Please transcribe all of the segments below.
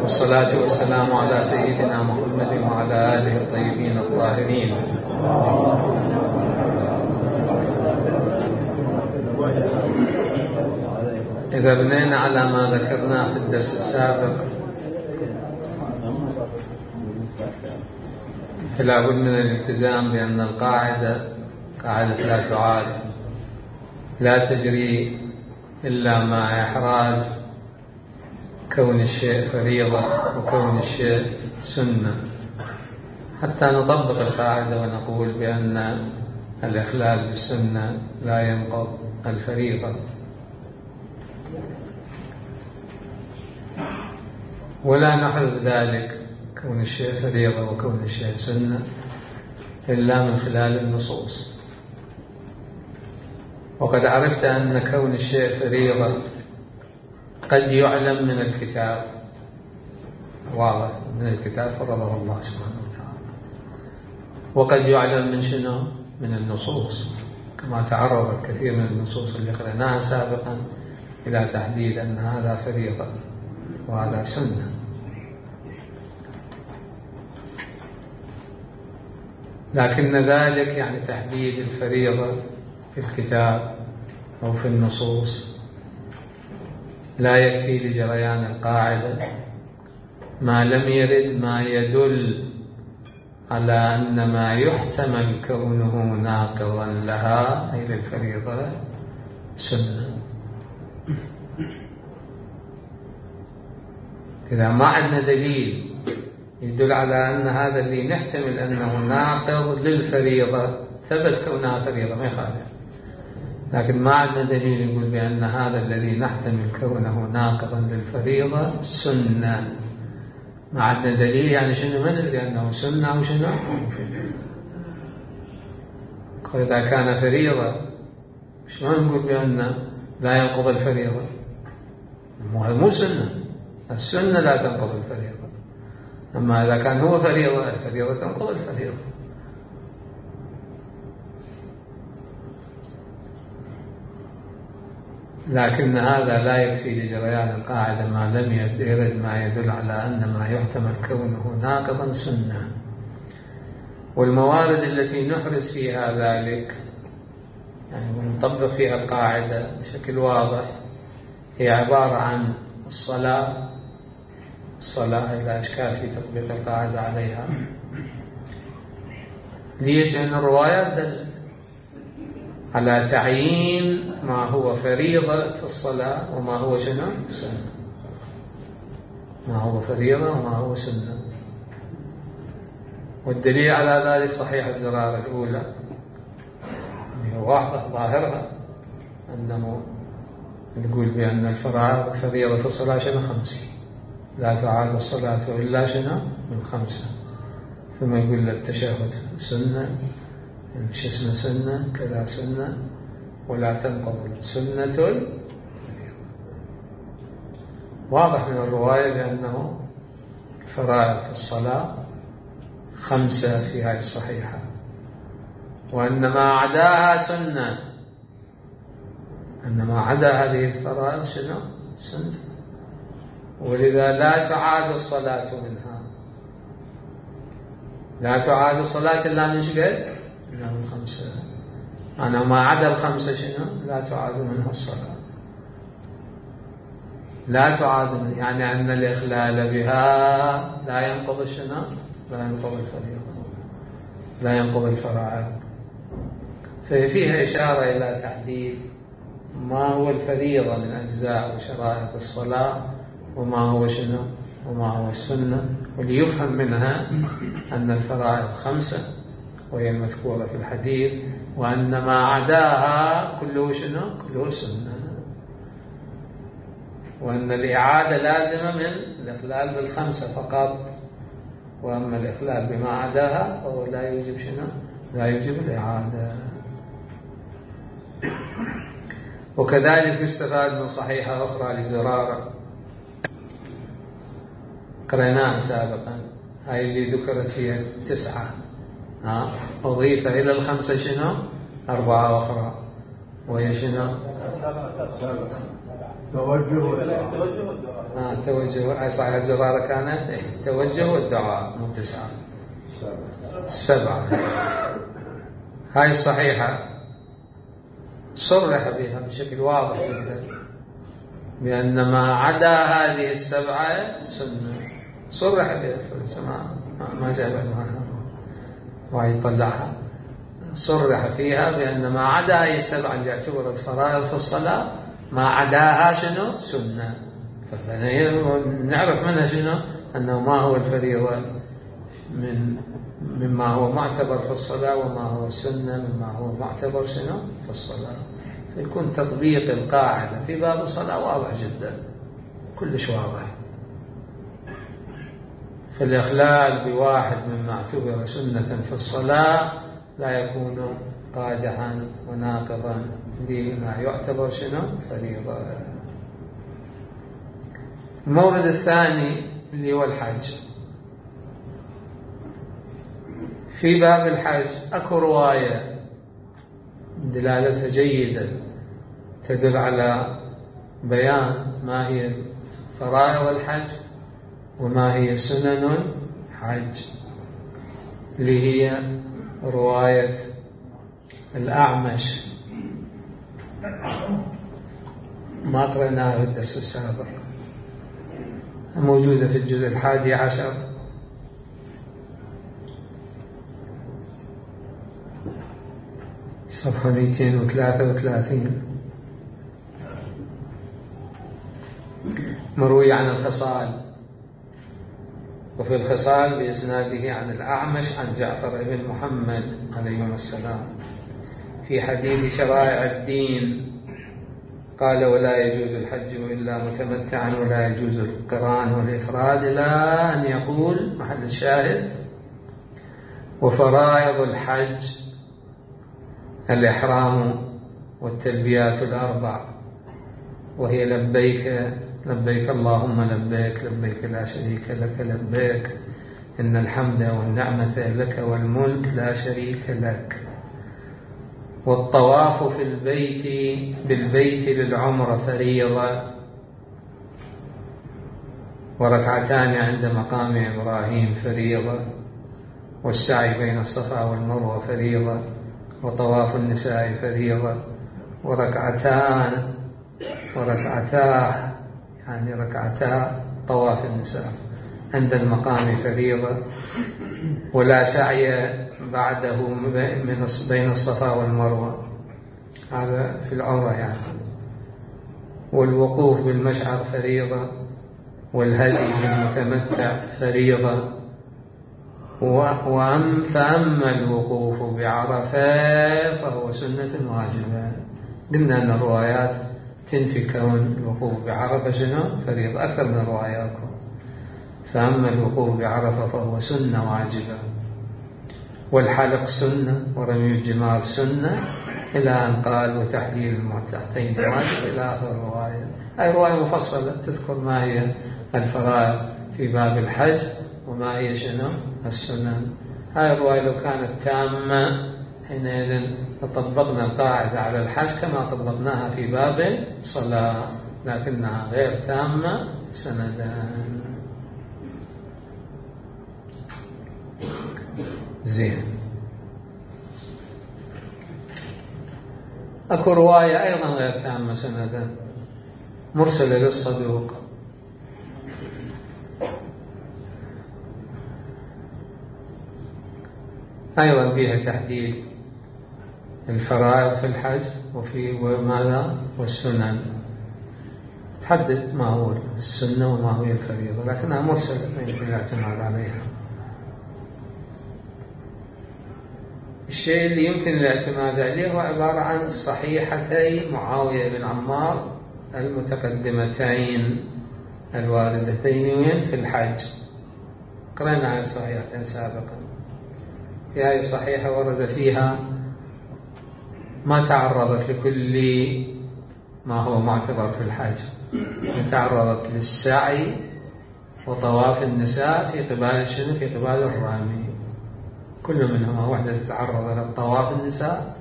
والصلاة والسلام على سيدنا محمد وعلى آله الطيبين الطاهرين. إذا بنينا على ما ذكرناه في الدرس السابق، فلا بد من الالتزام بأن القاعدة لا تعاد، لا تجري إلا مع إحراز كون الشيء فريضة وكون الشيء سنة، حتى نطبق القاعدة ونقول بأن الإخلال بالسنة لا ينقض الفريضة. ولا نحرز ذلك كون الشيء فريضة وكون الشيء سنة إلا من خلال النصوص. وقد عرفت أن كون الشيء فريضة قد يعلم من الكتاب، واضح من الكتاب فرضه الله سبحانه وتعالى، وقد يعلم من شنو؟ من النصوص، كما تعرضت كثير من النصوص اللي قرأناها سابقا إلى تحديد أن هذا فريضة وهذا سنة. لكن ذلك يعني تحديد الفريضة في الكتاب أو في النصوص لا يكفي لجريان القاعدة ما لم يرد ما يدل على أن ما يحتمل كونه ناقضا لها أي للفريضة سنة. إذا ما عندنا دليل يدل على أن هذا اللي نحتمل أنه ناقض للفريضة ثبت كونها فريضة ما يخالف، لكن ما عندنا دليل يقول بأن هذا الذي نحتمل كونه ناقضا للفريضة سنة. ما عندنا دليل يعني شنو؟ ما ندري أنه سنة أو شنو. إذا كان فريضة شلون نقول بأن لا ينقض الفريضة؟ مو سنة، السنة لا تنقض الفريضة. أما إذا كان هو فريضة الفريضة تنقض الفريضة. لكن هذا لا يكفي لجريان القاعدة ما لم يرد ما يدل على أن ما يحتمل كونه ناقضا سنة. والموارد التي نحرز فيها ذلك يعني ونطبق فيها القاعدة بشكل واضح هي عبارة عن الصلاة لا إشكال في تطبيق القاعدة عليها. ليش؟ لأن الروايات دلت على تعيين ما هو فريضة في الصلاة وما هو شنو؟ سنة. ما هو فريضة وما هو سنة. والدليل على ذلك صحيح الزرارة الأولى هي واضحة ظاهرها أنه نقول بأن الفرائض فريضة في الصلاة شنو؟ 5، لا تعاد الصلاة إلا شنو؟ من 5. ثم يقول التشهد سنة، شو اسمه سنة كذا سنة، ولا تنقض سنة. واضح من الرواية بأنه الفرائض في الصلاة 5 في هذه الصحيحة، وأن ما عداها سنة، أن ما عدا هذه الفرائض شنو؟ سنة. ولذا لا تعاد الصلاة منها، لا تعاد الصلاة إلا من شقد؟ إلا من 5. أنا ما عدا 5 شنو؟ لا تعاد منها الصلاة. لا تعاد يعني أن الإخلال بها لا ينقض شنو؟ لا ينقض الفريضة، لا ينقض الفرائض. ففيها إشارة إلى تحديد ما هو الفريضة من أجزاء وشرائط الصلاة وما هو شنو؟ وما هو السنة، وليفهم منها أن الفرائض 5 وهي المذكورة في الحديث، وأن ما عداها كله شنو؟ كله سنة، وأن الإعادة لازمة من الإخلال بال5 فقط، وأما الإخلال بما عداها فهو لا يوجب شنو؟ لا يوجب الإعادة. وكذلك يستفاد من صحيحة أخرى لزرارة قرأناها سابقا، هاي اللي ذكرت فيها 9 أضيف إلى 5 شنو؟ 4 أخرى، وهي شنو؟ توجه والدعاء. توجه صحيح. الجرارة كانت توجه والدعاء مو 9 7. هاي الصحيحة صرح بها بشكل واضح جدا بأن ما عدا هذه 7 سنة. صرح بها ما جاب عنها ويطلعها. صرح فيها بأن ما عدا هذه 7 اللي اعتبرت فرائض في الصلاة ما عداها شنو؟ سنة. نعرف منها شنو؟ أنه ما هو الفريضة مما هو معتبر في الصلاة وما هو السنة مما هو معتبر شنو في الصلاة. فيكون تطبيق القاعدة في باب الصلاة واضح جدا، كلش واضح. فالإخلال بواحد مما اعتبر سنة في الصلاة لا يكون قادحا وناقضا لما يعتبر شنو فريضة. المورد الثاني اللي هو الحج. في باب الحج اكو رواية دلالتها جيدة تدل على بيان ما هي فرائض الحج وما هي سنن الحج، اللي هي رواية الأعمش ما قرأناها في الدرس السابق، موجودة في الجزء 11 صفحة 233. مروي عن الخصال، وفي الخصال بإسناده عن الأعمش عن جعفر بن محمد عليهما السلام في حديث شرائع الدين قال: ولا يجوز الحج إلا متمتعا ولا يجوز القران والإفراد، إلى أن يقول محل الشاهد: وفرائض الحج الإحرام والتلبيات ال4، وهي لبيك لبيك اللهم لبيك لبيك لا شريك لك لبيك إن الحمد والنعمة لك والملك لا شريك لك، والطواف في البيت بالبيت للعمرة فريضة، وركعتان عند مقام إبراهيم فريضة، والسعي بين الصفا والمروة فريضة، وطواف النساء فريضة، وركعتا يعني ركعتا طواف النساء عند المقام فريضة، ولا سعي بعده بين الصفا والمروة، هذا في العمرة يعني، والوقوف بالمشعر فريضة، والهدي للمتمتع فريضة، فأما الوقوف بعرفة فهو سنة واجبة. قلنا أن الروايات تنفي كون الوقوف بعرفة شنو فريضة أكثر من رواياتكم. فأما الوقوف بعرفة فهو سنة واجبة، والحلق سنة، ورمي الجمار سنة، إلى أن قال: وتحليل المتعتين واجب، إلى آخر الرواية. هذه رواية مفصلة تذكر ما هي الفرائض في باب الحج وما هي شنو السنن. هذه الرواية لو كانت تامة حينئذ طبقنا القاعدة على الحج كما طبقناها في باب الصلاة، لكنها غير تامة سندا. زين. أكو رواية أيضا غير تامة سندا مرسلة للصدوق، أيضا فيها تحديد الفرائض في الحج وماذا والسنن، تحدد ما هو السنة وما هو الفريضة، لكنها مرسلة ما يمكن الاعتماد عليها. الشيء اللي يمكن الاعتماد عليه هو عبارة عن صحيحتي معاوية بن عمار المتقدمتين الواردتين وين في الحج. قرأنا عن صحيحتين سابقا. في هذه الصحيحة ورد فيها ما تعرضت لكل ما هو معتبر في الحج، تعرضت للسعي وطواف النساء في قبال شنو في قبال الرامي، كل منهما واحدة تتعرض للطواف النساء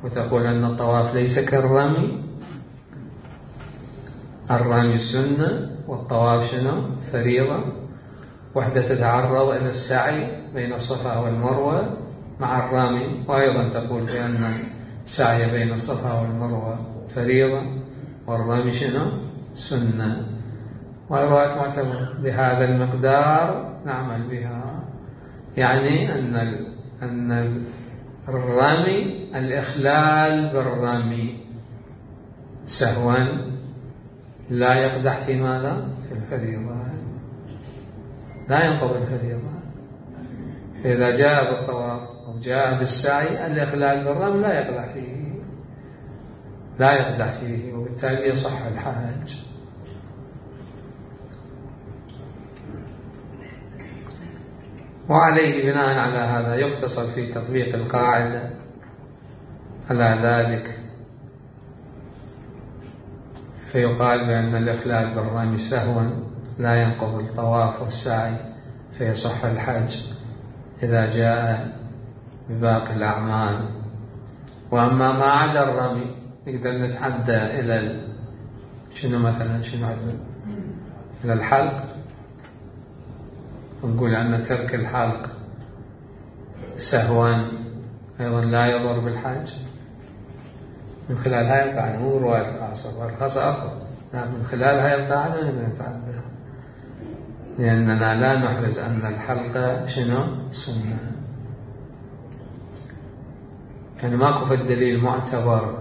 وتقول أن الطواف ليس كالرمي، الرمي سنة والطواف شنو؟ فريضة. وحدة تتعرض إلى السعي بين الصفا والمروة مع الرمي، وأيضا تقول بأن السعي بين الصفا والمروة فريضة والرمي شنو؟ سنة. والروايات معتبرة بهذا المقدار نعمل بها، يعني أن الرمي الإخلال بالرمي سهوا لا يقدح في ماذا؟ في الفريضة، لا ينقض الفريضة. إذا جاء بالطواف أو جاء بالسعي الإخلال بالرمي لا يقدح فيه وبالتالي يصح الحج. وعليه بناء على هذا يقتصر في تطبيق القاعدة على ذلك، فيقال بأن الإخلال بالرمي سهوا لا ينقض الطواف والسعي فيصح الحج إذا جاء بباقي الأعمال. وأما ما عدا الرمي نقدر نتعدى إلى شنو مثلا إلى الحلق، ونقول أن ترك الحلق سهوا أيضا لا يضر بالحج من خلال هاي القاعدة، مو رواية الخاصة، والخاصة أقوى، لكن من خلال هاي القاعدة نقدر نتعدى، لأننا لا نحرز أن الحلق شنو؟ سنة. يعني ماكو في الدليل معتبر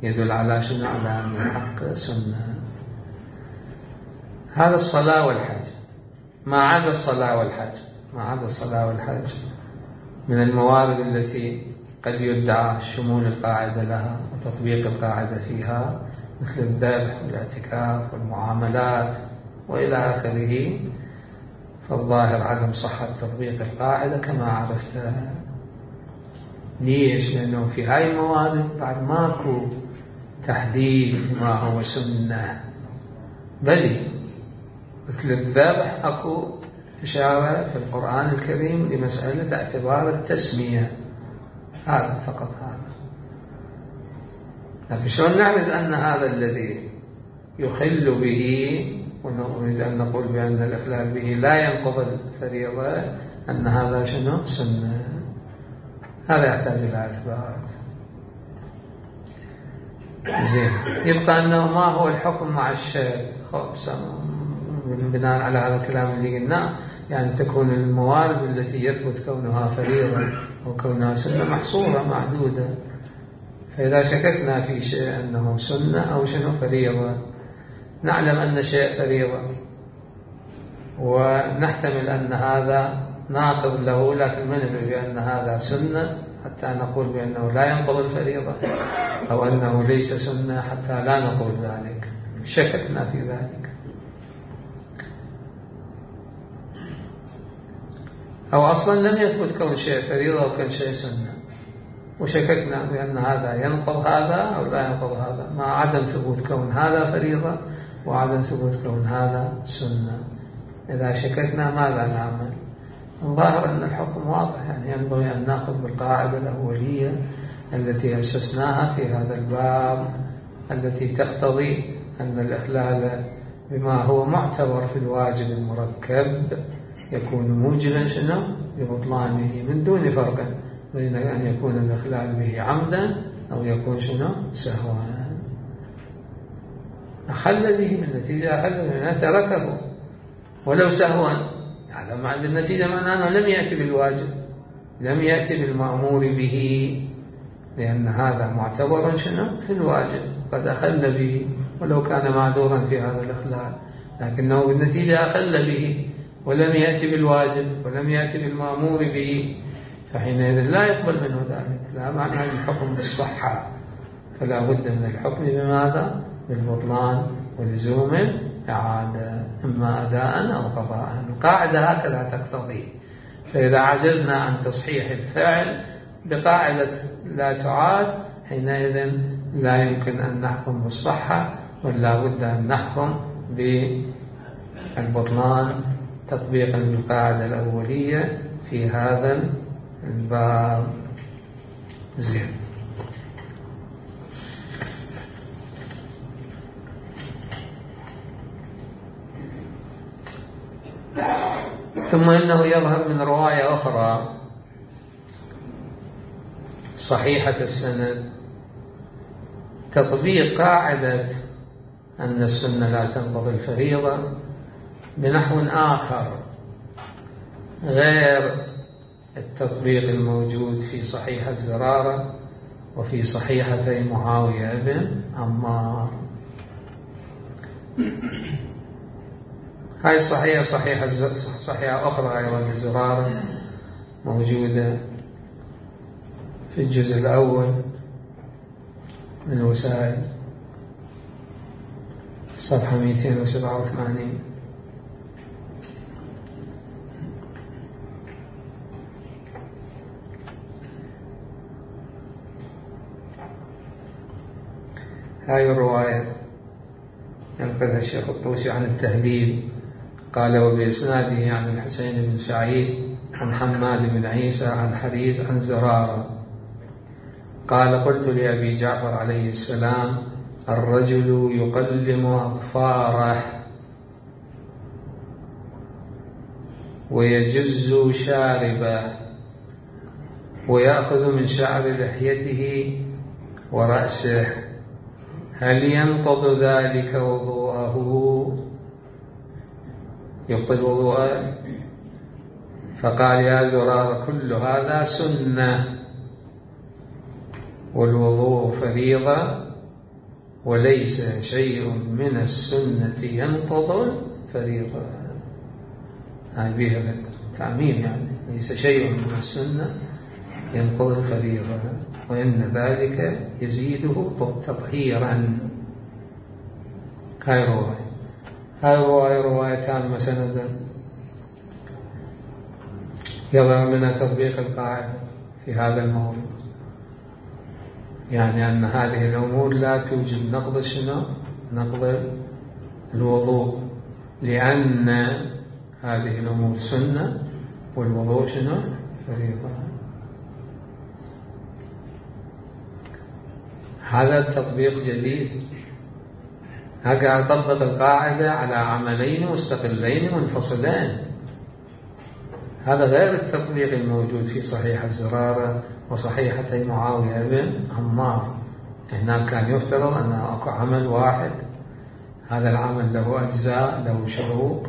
يدل على شنو؟ على أن الحلق سنة. هذا الصلاة والحج. ما عدا الصلاة والحج من الموارد التي قد يدعى شمول القاعدة لها وتطبيق القاعدة فيها، مثل الذبح والاعتكاف والمعاملات وإلى آخره، فالظاهر عدم صحة تطبيق القاعدة كما عرفت. ليش؟ لأنه في هاي الموارد بعد ماكو تحديد ما هو سنة، بل مثل الذبح أكو إشارة في القرآن الكريم لمسألة اعتبار التسمية، هذا فقط هذا. لكن شلون نعرف أن هذا الذي يخل به ونريد أن نقول بأن الإخلال به لا ينقض الفريضة أن هذا شنو؟ سنة. هذا يحتاج إلى إثبات. زين، يبقى أنه ما هو الحكم مع الشيء بناء على هذا الكلام اللي قلناه، يعني تكون الموارد التي يثبت كونها فريضة أو كونها سنة محصورة معدودة. فإذا شككنا في شيء أنه سنة أو شنو فريضة، نعلم أن شيء فريضة ونحتمل أن هذا ناقض له، لكن ما ندري بأن هذا سنة حتى نقول بأنه لا ينقض الفريضة، أو أنه ليس سنة حتى لا نقول ذلك، شككنا في ذلك. أو أصلا لم يثبت كون شيء فريضة أو كون شيء سنة، وشككنا بأن هذا ينقض هذا أو لا ينقض هذا، مع عدم ثبوت كون هذا فريضة وعدم ثبوت كون هذا سنة. إذا شككنا ماذا نعمل؟ الظاهر أن الحكم واضح، يعني ينبغي أن نأخذ بالقاعدة الأولية التي أسسناها في هذا الباب، التي تقتضي أن الإخلال بما هو معتبر في الواجب المركب يكون موجبا شنو؟ لبطلانه، من دون فرق بين أن يكون الإخلال به عمدا أو يكون شنو؟ سهوا. أخل به بالنتيجة، أخل به تركه ولو سهوا، هذا مع النتيجة معناه أنه لم يأتي بالواجب، لم يأتي بالمأمور به، لأن هذا معتبر شنو؟ في الواجب، قد أخل به ولو كان معذورا في هذا الإخلال، لكنه بالنتيجة أخل به ولم يأتي بالواجب ولم يأتي بالمأمور به، فحينئذ لا يقبل منه ذلك، لا معنى الحكم بالصحة، فلا بد من الحكم بماذا؟ بالبطلان ولزوم إعادة، إما أداء أو قضاء. القاعدة هكذا تقتضي. فإذا عجزنا عن تصحيح الفعل بقاعدة لا تعاد، حينئذ لا يمكن أن نحكم بالصحة، ولا بد أن نحكم بالبطلان تطبيقا للقاعدة الأولية في هذا الباب. زين. ثم إنه يظهر من رواية أخرى صحيحة السند تطبيق قاعدة أن السنة لا تنقضي الفريضة بنحو آخر غير التطبيق الموجود في صحيح الزرارة وفي صحيحتي معاوية بن عمار. هاي صحيحة أخرى أيضا للزرارة موجودة في الجزء الأول من الوسائل صفحة 287. هاي الرواية ينقلها الشيخ الطوسي عن التهذيب قال وبإسناده عن الحسين بن سعيد عن حماد بن عيسى عن حريز عن زرارة قال قلت لأبي جعفر عليه السلام الرجل يقلم أظفاره ويجز شاربه ويأخذ من شعر لحيته ورأسه هل ينقض ذلك وضوءه؟ يبطل وضوءه؟ فقال يا زرار كل هذا سنة والوضوء فريضة وليس شيء من السنة ينقض الفريضة. هاي بها تعميم يعني ليس شيء من السنة ينقض الفريضة وإن ذلك يزيده تطهيرا. هاي رواية تامة سندا يظهر منها تطبيق القاعدة في هذا الموضوع، يعني أن هذه الأمور لا توجب نقض نقض الوضوء لأن هذه الأمور سنة والوضوء فريضة. هذا التطبيق جديد. هكذا أطبق القاعدة على عملين مستقلين منفصلين. هذا غير التطبيق الموجود في صحيح الزرارة وصحيحتي معاوية بن عمار. هناك كان يفترض أن أكو عمل واحد، هذا العمل له أجزاء له شروط،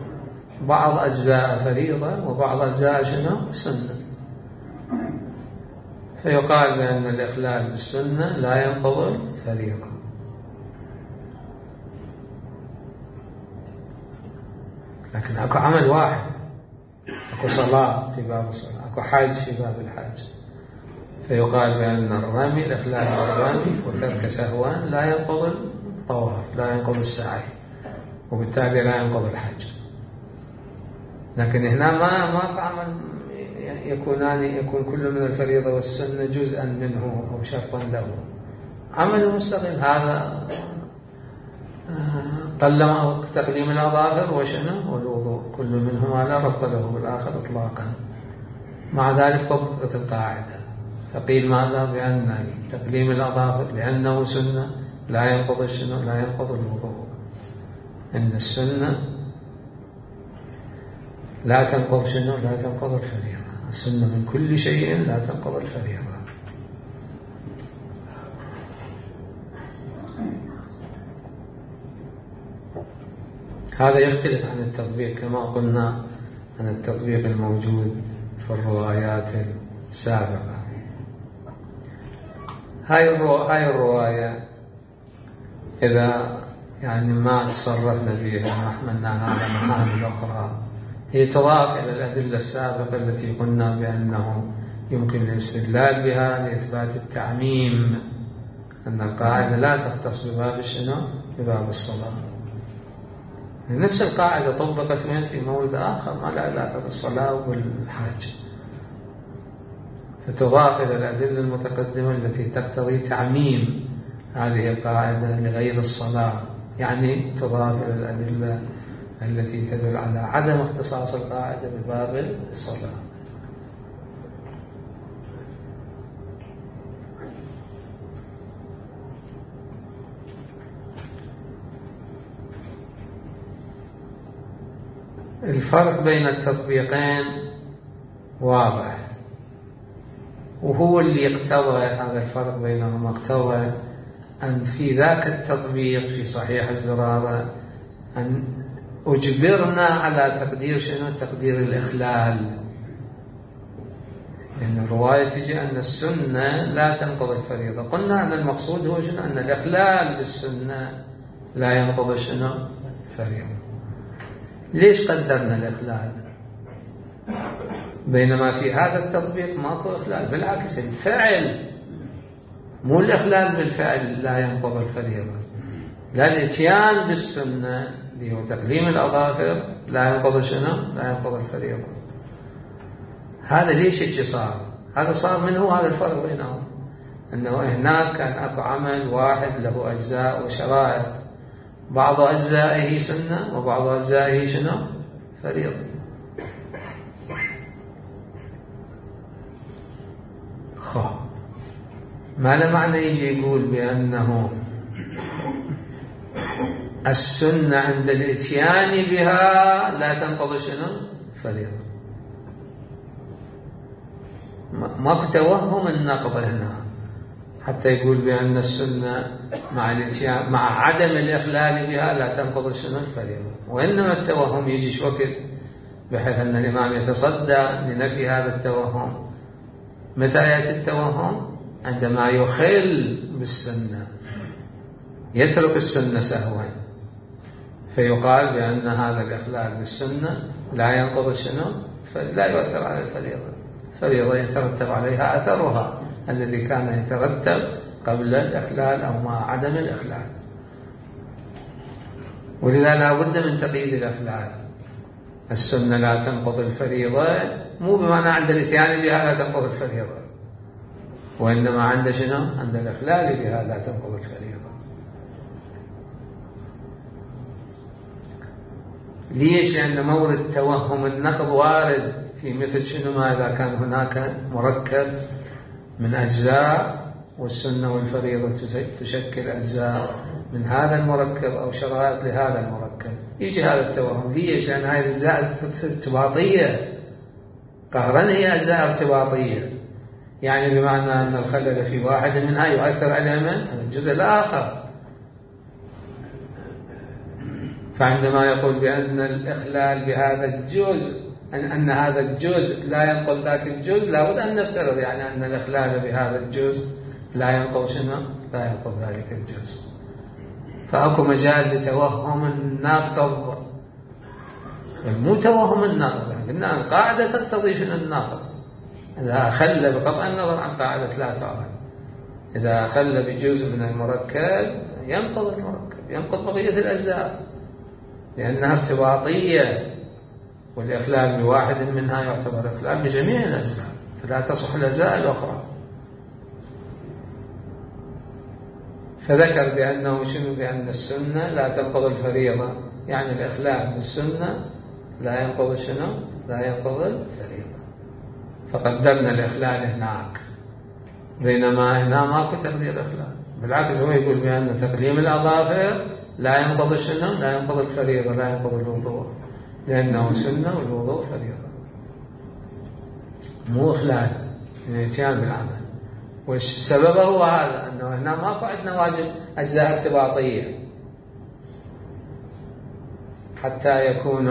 بعض أجزاء فريضة وبعض أجزاء سنة، فيقال بأن الإخلال بالسنة لا ينقض الفريضة. لكن أكو عمل واحد، أكو صلاة في باب الصلاة، أكو حج في باب الحج، فيقال بأن الرمي الإخلال بالرمي وترك سهوان لا ينقض الطواف لا ينقض السعي وبالتالي لا ينقض الحج. لكن هنا ما عمل يكون كل من الفريضة والسنة جزءا منه أو شرطا له، عمل مستقل. هذا تقليم الأظافر والوضوء كل منهما لا ربط له بالآخر إطلاقا. مع ذلك طبقت القاعدة فقيل ماذا؟ بأن تقليم الأظافر لأنه سنة لا ينقض لا ينقض الوضوء، إن السنة لا تنقض لا تنقض الفريضة. السنة من كل شيء لا تنقض الفريضة. هذا يختلف عن التطبيق كما قلنا عن التطبيق الموجود في الروايات السابقة. هاي الرواية إذا يعني ما تصرفنا بها ما حملناها على معاني أخرى هي تضاف إلى الأدلة السابقة التي قلنا بأنه يمكن الاستدلال بها لإثبات التعميم، أن القاعدة لا تختص بباب بباب الصلاة. نفس القاعدة طبقت في مورد آخر ما لا علاقة بالصلاة والحاج، فتضاف إلى الأدلة المتقدمة التي تقتضي تعميم هذه القاعدة لغير الصلاة، يعني تضاف إلى الأدلة التي تدل على عدم اختصاص القاعدة بباب الصلاة. الفرق بين التطبيقين واضح، وهو اللي يقتضى هذا الفرق بينهما، اقتضى أن في ذاك التطبيق في صحيح الزرارة أن أجبرنا على تقدير شنو؟ تقدير الإخلال. لأن الرواية تجي أن السنة لا تنقض الفريضة، قلنا أن المقصود هو شنو؟ أن الإخلال بالسنة لا ينقض شنو؟ الفريضة. ليش قدرنا الإخلال؟ بينما في هذا التطبيق ماكو إخلال، بالعكس الفعل، مو الإخلال بالفعل لا ينقض الفريضة، لا الاتيان بالسنة اللي هو تقليم الأظافر لا ينقض شنو؟ لا ينقض الفريضة. هذا ليش هيك صار؟ هذا صار من هو هذا الفرق بينهم، أنه هناك كان أكو عمل واحد له أجزاء وشرائط، بعض أجزائه سنة وبعض أجزائه شنو؟ فريضة. ما له معنى يجي يقول بأنه السنة عند الاتيان بها لا تنقضي شنو؟ فريضة. ماكو توهم النقض هنا حتى يقول بأن السنة مع الاتيان مع عدم الإخلال بها لا تنقضي شنو؟ الفريضة. وإنما التوهم يجي وقت بحيث أن الإمام يتصدى لنفي هذا التوهم. متى يأتي التوهم؟ عندما يخل بالسنة، يترك السنة سهوا، فيقال بأن هذا الإخلال بالسنة لا ينقض شنو؟ لا يؤثر على الفريضة. الفريضة يترتب عليها أثرها الذي كان يترتب قبل الإخلال أو مع عدم الإخلال. ولذا لا بد من تقييد الإخلال. السنة لا تنقض الفريضة مو بمعنى عند الاتيان بها لا تنقض الفريضة، وإنما عند شنو؟ عند الإخلال بها لا تنقض الفريضة. ليش؟ لأن مورد توهم النقض وارد في مثل شنو؟ ما إذا كان هناك مركب من أجزاء والسنة والفريضة تشكل أجزاء من هذا المركب أو شرائط لهذا المركب، يجي هذا التوهم. ليش؟ لأن هذه الأجزاء ارتباطية قهرا، هي أجزاء ارتباطية، يعني بمعنى أن الخلل في واحد منها يؤثر على من؟ الجزء الآخر. فعندما يقول بأن الإخلال بهذا الجزء أن هذا الجزء لا ينقض ذاك الجزء، لابد أن نفترض يعني أن الإخلال بهذا الجزء لا ينقض شنو؟ لا ينقض ذلك الجزء. فأكو مجال لتوهم الناقض، مو توهم الناقض، قلنا القاعدة تقتضي شنو الناقض. إذا أخل بقطع النظر عن قاعدة لا تعمل، إذا أخل بجزء من المركب ينقض المركب، ينقض بقية الأجزاء، لأنها ارتباطية، والإخلال بواحد منها يعتبر إخلال بجميع الأجزاء، فلا تصح الأجزاء الأخرى. فذكر بأنه شنو؟ بأن السنة لا تنقض الفريضة، يعني الإخلال بالسنة لا ينقض شنو؟ لا ينقض الفريضة. فقدرنا الإخلال هناك، بينما هنا ماكو تقدير إخلال. بالعكس هو يقول بأن تقليم الأظافر لا ينقض شنو؟ لا ينقض الفريضة، لا ينقض الوضوء، لأنه سنة والوضوء فريضة، مو إخلال من الاتيان بالعمل. والسبب هو هذا، أنه هنا ماكو عندنا واجب أجزاء ارتباطية حتى يكون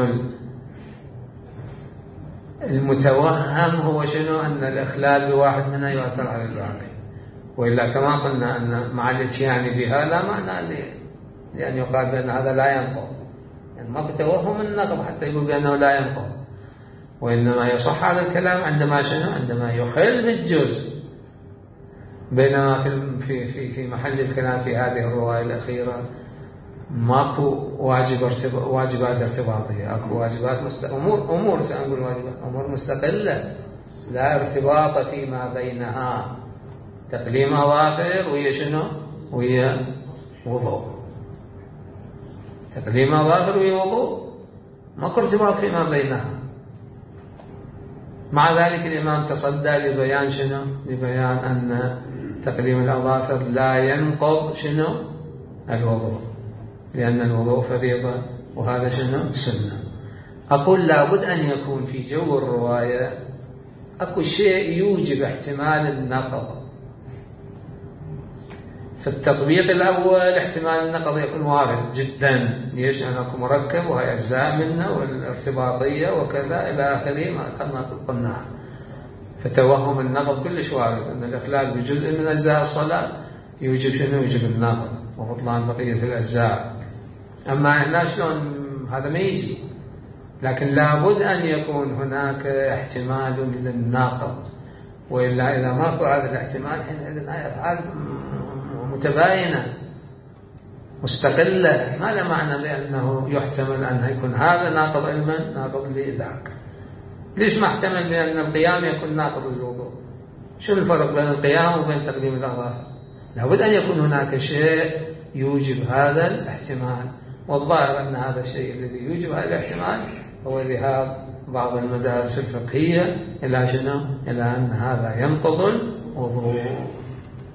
المتوهم هو شنو؟ أن الإخلال بواحد منها يؤثر على الباقي. وإلا كما قلنا أن مع الاتيان بها لا معنى لأن يقال بأن هذا لا ينقض، يعني ماكو توهم النقض حتى يقول بأنه لا ينقض. وإنما يصح هذا الكلام عندما شنو؟ عندما يخل بالجزء. بينما في محل الكلام في هذه الرواية الأخيرة ماكو واجبات ارتباطية، اكو واجبات امور سأقول واجبات امور مستقلة لا ارتباط فيما بينها. تقليم أظافر وهي شنو؟ وهي وضوء. تقليم أظافر وهي وضوء، ماكو ارتباط فيما بينها. مع ذلك الإمام تصدى لبيان شنو؟ لبيان أن تقليم الأظافر لا ينقض شنو؟ الوضوء، لأن الوضوء فريضة وهذا شنو؟ سنة. أقول لابد أن يكون في جو الرواية أكو شيء يوجب احتمال النقض. في التطبيق الأول احتمال النقض يكون وارد جدا، ليش؟ أنه مركب وهي أجزاء منه والارتباطية وكذا إلى آخره كما قلنا. فتوهم النقض كلش وارد، أن الإخلال بجزء من أجزاء الصلاة يوجب شنو؟ يوجب النقض وبطلان بقية الأجزاء. أما هنا شلون هذا ما يجي، لكن لابد أن يكون هناك احتمال للناقض، وإلا إذا ماكو هذا الاحتمال حينئذ هاي أفعال متباينة مستقلة، ما له معنى بأنه يحتمل أن يكون هذا ناقض علما ناقض لذاك. ليش ما احتمل بأن القيام يكون ناقض للوضوء؟ شو الفرق بين القيام وبين تقديم الأظافر؟ لابد أن يكون هناك شيء يوجب هذا الاحتمال، والظاهر أن هذا الشيء الذي يوجب هذا الاحتمال هو ذهاب بعض المدارس الفقهية إلى شنو؟ إلى أن هذا ينقض الوضوء.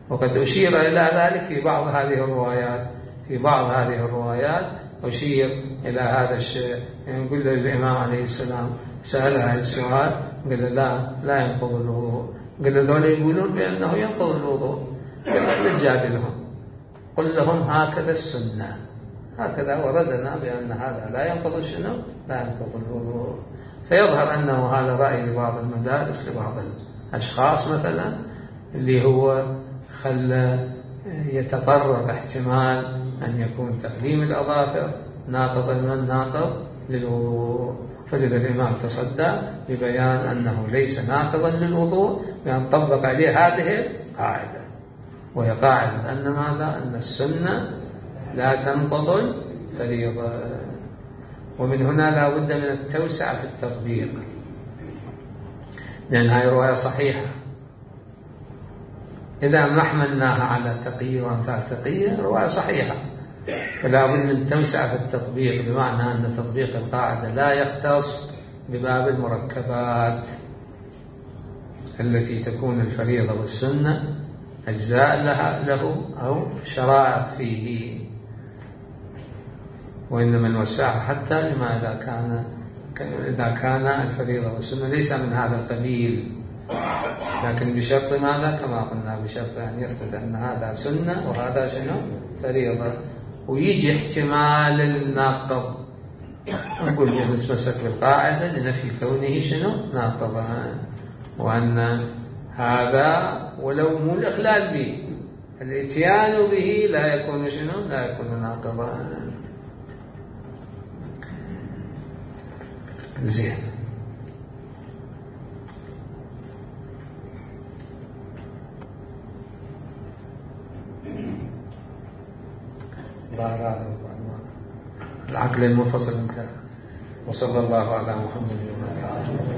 وقد أشير إلى ذلك في بعض هذه الروايات، في بعض هذه الروايات أشير إلى هذا الشيء. يعني يقول الإمام عليه السلام سألها السؤال قال لا ينقض الوضوء، قال ذولا يقولون بأنه ينقض الوضوء، قال لا تجادلهم، قل لهم هكذا السنة، هكذا وردنا بأن هذا لا ينقض شنو؟ لا ينقض الوضوء. فيظهر أنه هذا رأي لبعض المدارس، لبعض الأشخاص مثلا، اللي هو خلى يتطرق احتمال أن يكون تقديم الأظافر ناقض من ناقض للوضوء. فلذا الإمام تصدى ببيان أنه ليس ناقضا للوضوء، بأن طبق عليه هذه القاعدة، وهي قاعدة أن ماذا؟ أن السنة لا تنقض الفريضة. ومن هنا لا بد من التوسعة في التطبيق، لأن هذه رواية صحيحة. إذا ما حملناها على تقية وأمثال تقية رواية صحيحة، فلا بد من توسعة في التطبيق، بمعنى أن تطبيق القاعدة لا يختص بباب المركبات التي تكون الفريضة والسنة أجزاء له أو شرائط فيه، وإنما نوسعها حتى لما إذا كان الفريضة والسنة ليس من هذا القبيل، لكن بشرط ماذا؟ كما قلنا بشرط أن يثبت أن هذا سنة وهذا شنو؟ فريضة، ويجي احتمال الناقض، نقول نتمسك بالقاعدة لنفي كونه شنو؟ ناقضا، وأن هذا ولو مو الإخلال به، الاتيان به لا يكون شنو؟ لا يكون ناقضا. زين. العقل المنفصل انتهى. وصلى الله على محمد وعلى آله.